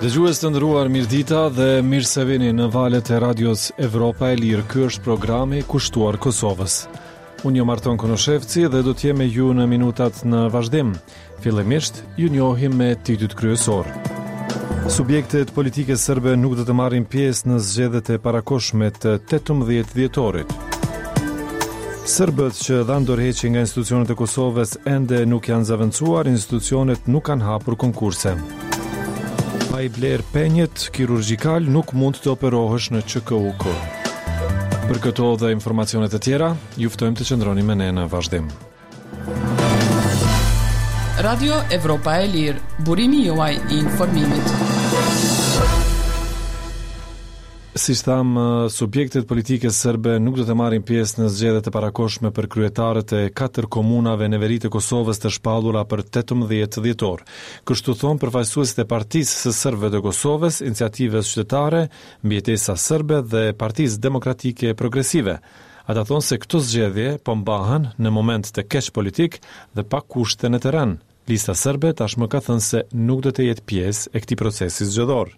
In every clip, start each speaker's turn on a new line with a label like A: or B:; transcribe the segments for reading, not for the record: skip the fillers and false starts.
A: Dëgjues të nderuar, mirëdita dhe mirë se vini në valët e Radios Evropa e Lirë. Ky është programi kushtuar Kosovës. Unë jam Arton Konushevci dhe do të jem me ju në minutat në vazhdim. Fillimisht, ju njohim me titujt kryesorë. Subjektet politike serbe nuk do të marrin pjesë në zgjedhjet e parakohshme të 18 dhjetorit. Serbët që dhanë dorëheqje nga institucionet e Kosovës ende nuk janë zëvendësuar, institucionet nuk kanë hapur konkurse. Pa i blerë penjët kirurgjikalë nuk mund të operohesh në QKUK. Për këto dhe informacione të tjera, ju ftojmë të qëndroni me ne në vazhdim.
B: Radio Evropa e Lirë, burimi juaj i informimit.
A: Siç thamë, subjektet politike serbe nuk do të marrin pjesë në zgjedhjet e parakohshme për kryetarët e katër komunave në veri të Kosovës të shpallura për 18 dhjetor. Kështu thonë përfaqësuesit e Partisë së Serbëve të Kosovës, Iniciativës Qytetare, Mbijetesa Serbe dhe Partisë Demokratike Progresive. Ata thonë se këto zgjedhje po mbahen në moment të keq politik dhe pa kushte në terren. Lista Serbe tashmë ka thënë se nuk do të jetë pjesë e këtij procesi zgjedhor.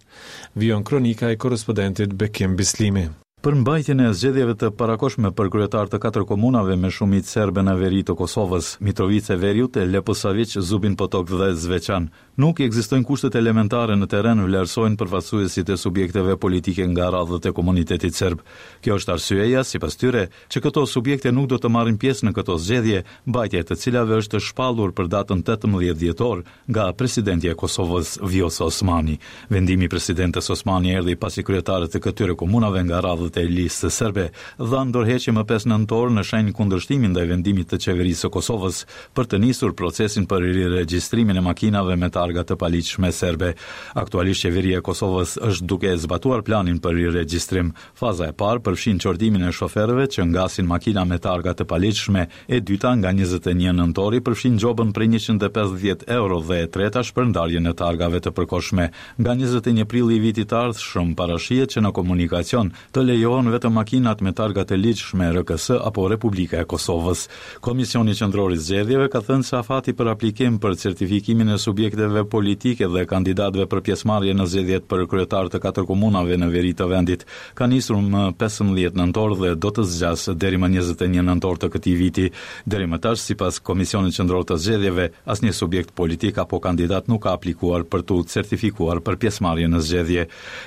A: Vijon kronika e korrespondentit Bekim Bislimi.
C: Për mbajtjen e zgjedhjeve të parakohshme për kryetarë të katër komunave me shumicë serbe në veri të Kosovës, Mitrovicë e Veriut, Leposaviq, Zubin Potok dhe Zveçan, Nuk ekzistojnë kushtet elementare në terren, vlerësojnë përfaqësuesit e subjekteve politike nga radhët e komunitetit serb. Kjo është arsyeja, sipas tyre, që këto subjekte nuk do të marrin pjesë në këto zgjedhje, mbajtja e të cilave është shpallur për datën 18 dhjetor nga presidentja e Kosovës, Vjosa Osmani. Vendimi i presidentes Osmani erdhi pasi kryetarët e këtyre komunave nga radhët e Listës Serbe dhanë dorëheqje më 5 nëntor në shenjë kundërshtimi ndaj vendimit të Qeverisë së Kosovës për të nisur procesin për riregjistrimin e makinave me targa të paligjshme serbe. Aktualisht Qeveria e Kosovës është duke e zbatuar planin për riregjistrim. Faza e parë përfshin qortimin e shoferëve që ngasin makina me targa të paligjshme, e dyta nga 21 nëntori përfshin gjobën prej 150 euro dhe e treta shpërndarjen e targave të përkohshme. Nga 21 prilli i vitit të ardhshëm parashihet që në komunikacion të lejohen vetëm makinat me targa të ligjshme RKS apo Republika e Kosovës. Komisioni Qendror i Zgjedhjeve ka thënë se afati për aplikim për certifikimin e subjekteve politike dhe kandidatëve për pjesëmarrje në zgjedhjet për kryetarë të katër komunave në veri të vendit ka nisur më 15 nëntor dhe do të zgjasë deri më 21 nëntor të këtij viti. Deri më tash, sipas Komisionit Qendror të Zgjedhjeve, asnjë subjekt politik apo kandidat nuk ka aplikuar për t'u certifikuar për pjesëmarrje në zgjedhje.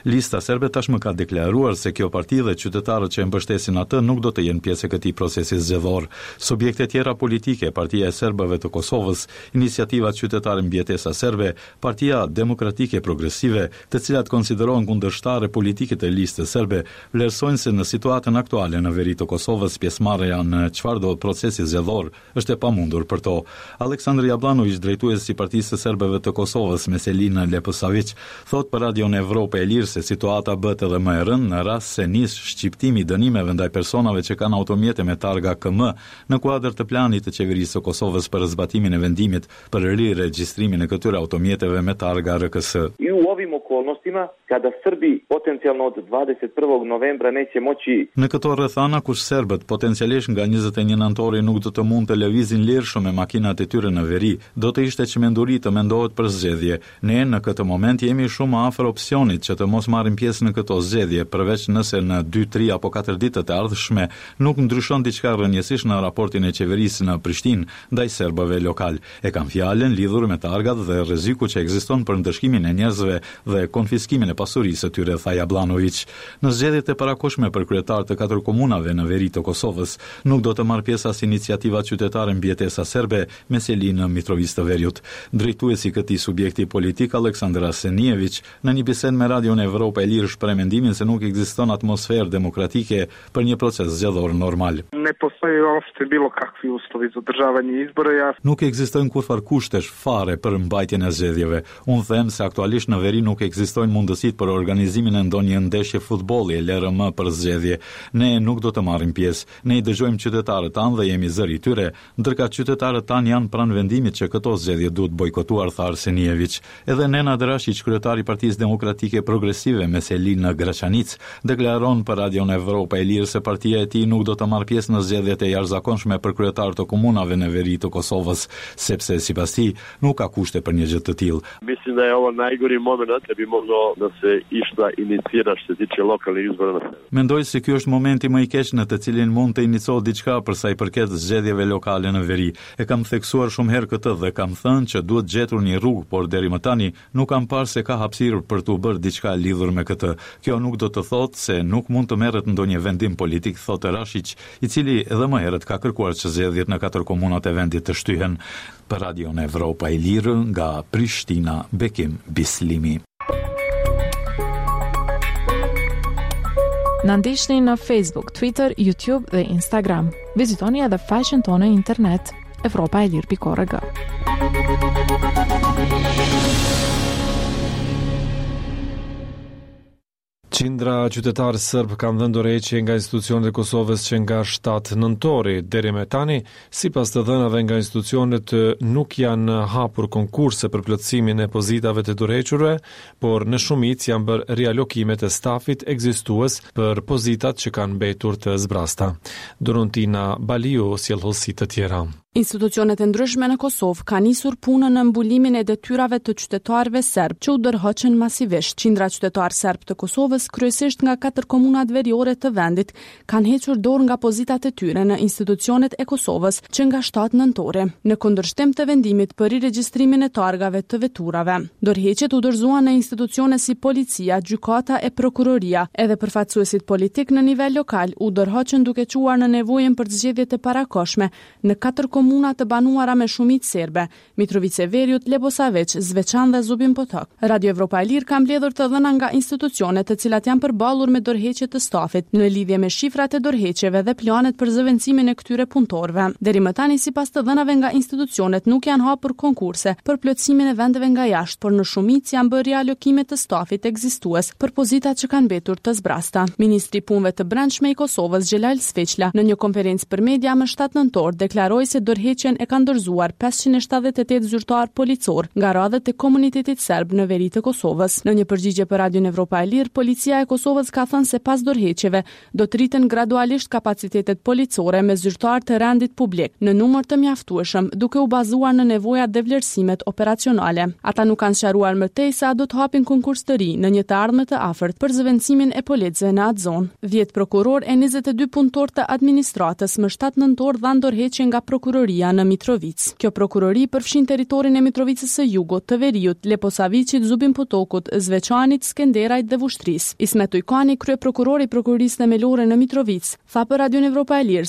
C: Lista Serbe tashmë ka deklaruar se kjo parti dhe qytetarët që e mbështesin atë nuk do të jenë pjesë e këtij procesi zgjedhor. Subjekte tjera politike, Partia e Serbëve të Kosovës, Iniciativa Qytetare Mbijetesa Serbe, Partia Demokratike Progresive, të cilat konsiderohen kundërshtare politike të Listës Serbe, vlerësojnë se në situatën aktuale në veri të Kosovës pjesëmarrja në çfarëdo procesi zgjedhor është e pamundur për to. Aleksandër Jabllanoviq, drejtues i Partisë së Serbëve të Kosovës me seli në Leposaviq, thotë për Radion Evropa e Lirë se situata bëhet edhe më e rëndë në rast se nis shqiptimi i dënimeve ndaj personave që kanë automjete me targa KM në kuadër të planit të Qeverisë së Kosovës për zbatimin e vendimit për riregjistrimin e këtyre automjeteve me targa RKS.
D: I u ovim okolnostima kada Srbi potencijalno od 21. novembra neće moći
C: Në këto rrethana ku serbët potencialisht nga 21 nëntori nuk do të mund të lëvizin lirshëm me makinat e tyre në veri, do të ishte çmenduri të mendohet për zgjedhje. Ne në këtë moment jemi shumë afër opsionit që të mos marrim pjesë në këto zgjedhje, përveç nëse në dy, tri apo katër ditët e ardhshme nuk ndryshon diçka rrënjësisht në raportin e qeverisë në Prishtinë ndaj serbëve lokalë. E kam fjalën lidhur me targat dhe rreziku që ekziston për ndëshkimin e njerëzve dhe konfiskimin e pasurisë së tyre, tha Jabllanoviq. Në zgjedhjet e parakohshme për kryetarë të katër komunave në veri të Kosovës, nuk do të marrë pjesë as Iniciativa Qytetare Mbijetesa Serbe me seli në Mitrovicë të Veriut. Drejtuesi i këtij subjekti politik, Aleksandar Arsenijeviq, në një bisedë me Radion Evropa e Lirë shpreh mendimin se nuk ekziston atmosferë demokratike për një proces zgjedhor normal.
E: Ne postoje uopšte bilo kakvi uslovi za održavanje izbora. Ja...
C: Nuk ekzistojnë kurrfarë kushtesh fare për mbajtjen e zgjedhjeve. Unë them se aktualisht në veri nuk ekzistojnë mundësitë për organizimin e ndonjë ndeshje futbolli e lëre më për zgjedhje. Ne nuk do të marrim pjesë. Ne i dëgjojmë qytetarët tanë dhe jemi zëri i tyre, ndërkaq qytetarët tanë janë pranë vendimit që këto zgjedhje duhet bojkotuar, tha Arsenijeviq. Edhe Nenad Rashiq, kryetar i Partisë Demokratike Progresive me seli në Graçanicë, deklaron. thënë për Radion Evropa e Lirë se partia e tij nuk do të marrë pjesë në zgjedhjet e jashtëzakonshme për kryetarë të komunave në veri të Kosovës, sepse sipas tij, nuk ka kushte për një gjë të tillë.
F: Mislim da je ovo najgori momenat da bi moglo da se išta inicira što se tiče lokalnih izbora na severu.
C: Mendoj se ky është momenti më i keq në të cilin mund të inicohet diçka për sa i përket zgjedhjeve lokale në veri. E kam theksuar shumë herë këtë dhe kam thënë që duhet gjetur një rrugë, por deri më tani nuk kam parë se ka hapësirë për t'u bërë diçka lidhur me këtë. Kjo nuk do të thotë se nuk mund të merret ndonjë vendim politik, thotë Rashiq, i cili edhe më herët ka kërkuar që zgjedhjet në katër komunat e vendit të shtyhen. Për Radion Evropa e Lirë, nga Prishtina, Bekim Bislimi.
G: Na ndiqni në Facebook, Twitter, YouTube dhe Instagram. Vizitoni edhe faqen tonë në internet evropaelire.org.
A: Qindra qytetarë sërbë kanë dhënë dorëheqje nga institucionet e Kosovës që nga 7 nëntori. Deri më tani, sipas të dhënave nga institucionet, nuk janë hapur konkurse për plotësimin e pozitave të dorëhequrve, por në shumicë janë bërë rialokimet e stafit ekzistues për pozitat që kanë mbetur të zbrazta. Doruntina Baliu sjell hollësi të tjera.
H: Institucionet e ndryshme në Kosovë kanë nisur punën në mbulimin e detyrave të qytetarëve serbë që u dorëhoqën masivisht. Qindra qytetarë serbë të Kosovës, kryesisht nga katër komunat veriore të vendit, kanë hequr dorë nga pozitat e tyre në institucionet e Kosovës që nga 7 nëntori, në kundërshtim të vendimit për riregjistrimin e targave të veturave. Dorëheqjet u dorëzuan në institucione si policia, gjykata e prokuroria. Edhe përfaqësuesit politikë në nivel lokal u dorëhoqën duke çuar në nevojën për zgjedhje të parakohshme Në katër komuna të banuara me shumicë serbe, Mitrovicë e Veriut, Leposaviq, Zveçan dhe Zubin Potok, Radio Evropa e Lirë ka mbledhur të dhëna nga institucionet të cilat janë përballur me dorëheqje të stafit, në lidhje me shifrat e dorëheqjeve dhe planet për zëvendësimin e këtyre punëtorëve. Deri më tani, sipas të dhënave nga institucionet, nuk janë hapur konkurse për plotësimin e vendeve nga jashtë, por në shumicë janë bërë rialokime të stafit ekzistues për pozitat që kanë mbetur të zbrazta. Ministri i Punëve të Brendshme i Kosovës, Xhelal Sveçla, në një konferencë për media më 7 nëntor deklaroi se dorëheqjen e kanë dorëzuar 578 zyrtarë policorë nga radhët e komunitetit serb në veri të Kosovës. Në një përgjigje për Radion Evropa e Lirë, Policia e Kosovës ka thënë se pas dorëheqjeve do të rriten gradualisht kapacitetet policore me zyrtarë të rendit publik në numër të mjaftueshëm, duke u bazuar në nevojat dhe vlerësimet operacionale. Ata nuk kanë sqaruar më tej se a do të hapin konkurs të ri në një të ardhme të afërt për zëvendësimin e policëve në atë zonë. 10 prokurorë e 22 punëtorë të administratës më 7 nëntor dhanë dorëheqje nga prokuroria në Mitrovicë. Kjo prokurori përfshin territorin e Mitrovicës së Jugut, të Veriut, Leposaviqit, Zubin Potokut, Zveçanit, Skenderajt dhe Vushtrrisë. Ismet Ujkani, kryeprokuror i Prokurorisë Themelore në Mitrovicë, tha për Radion Evropa e Lirë.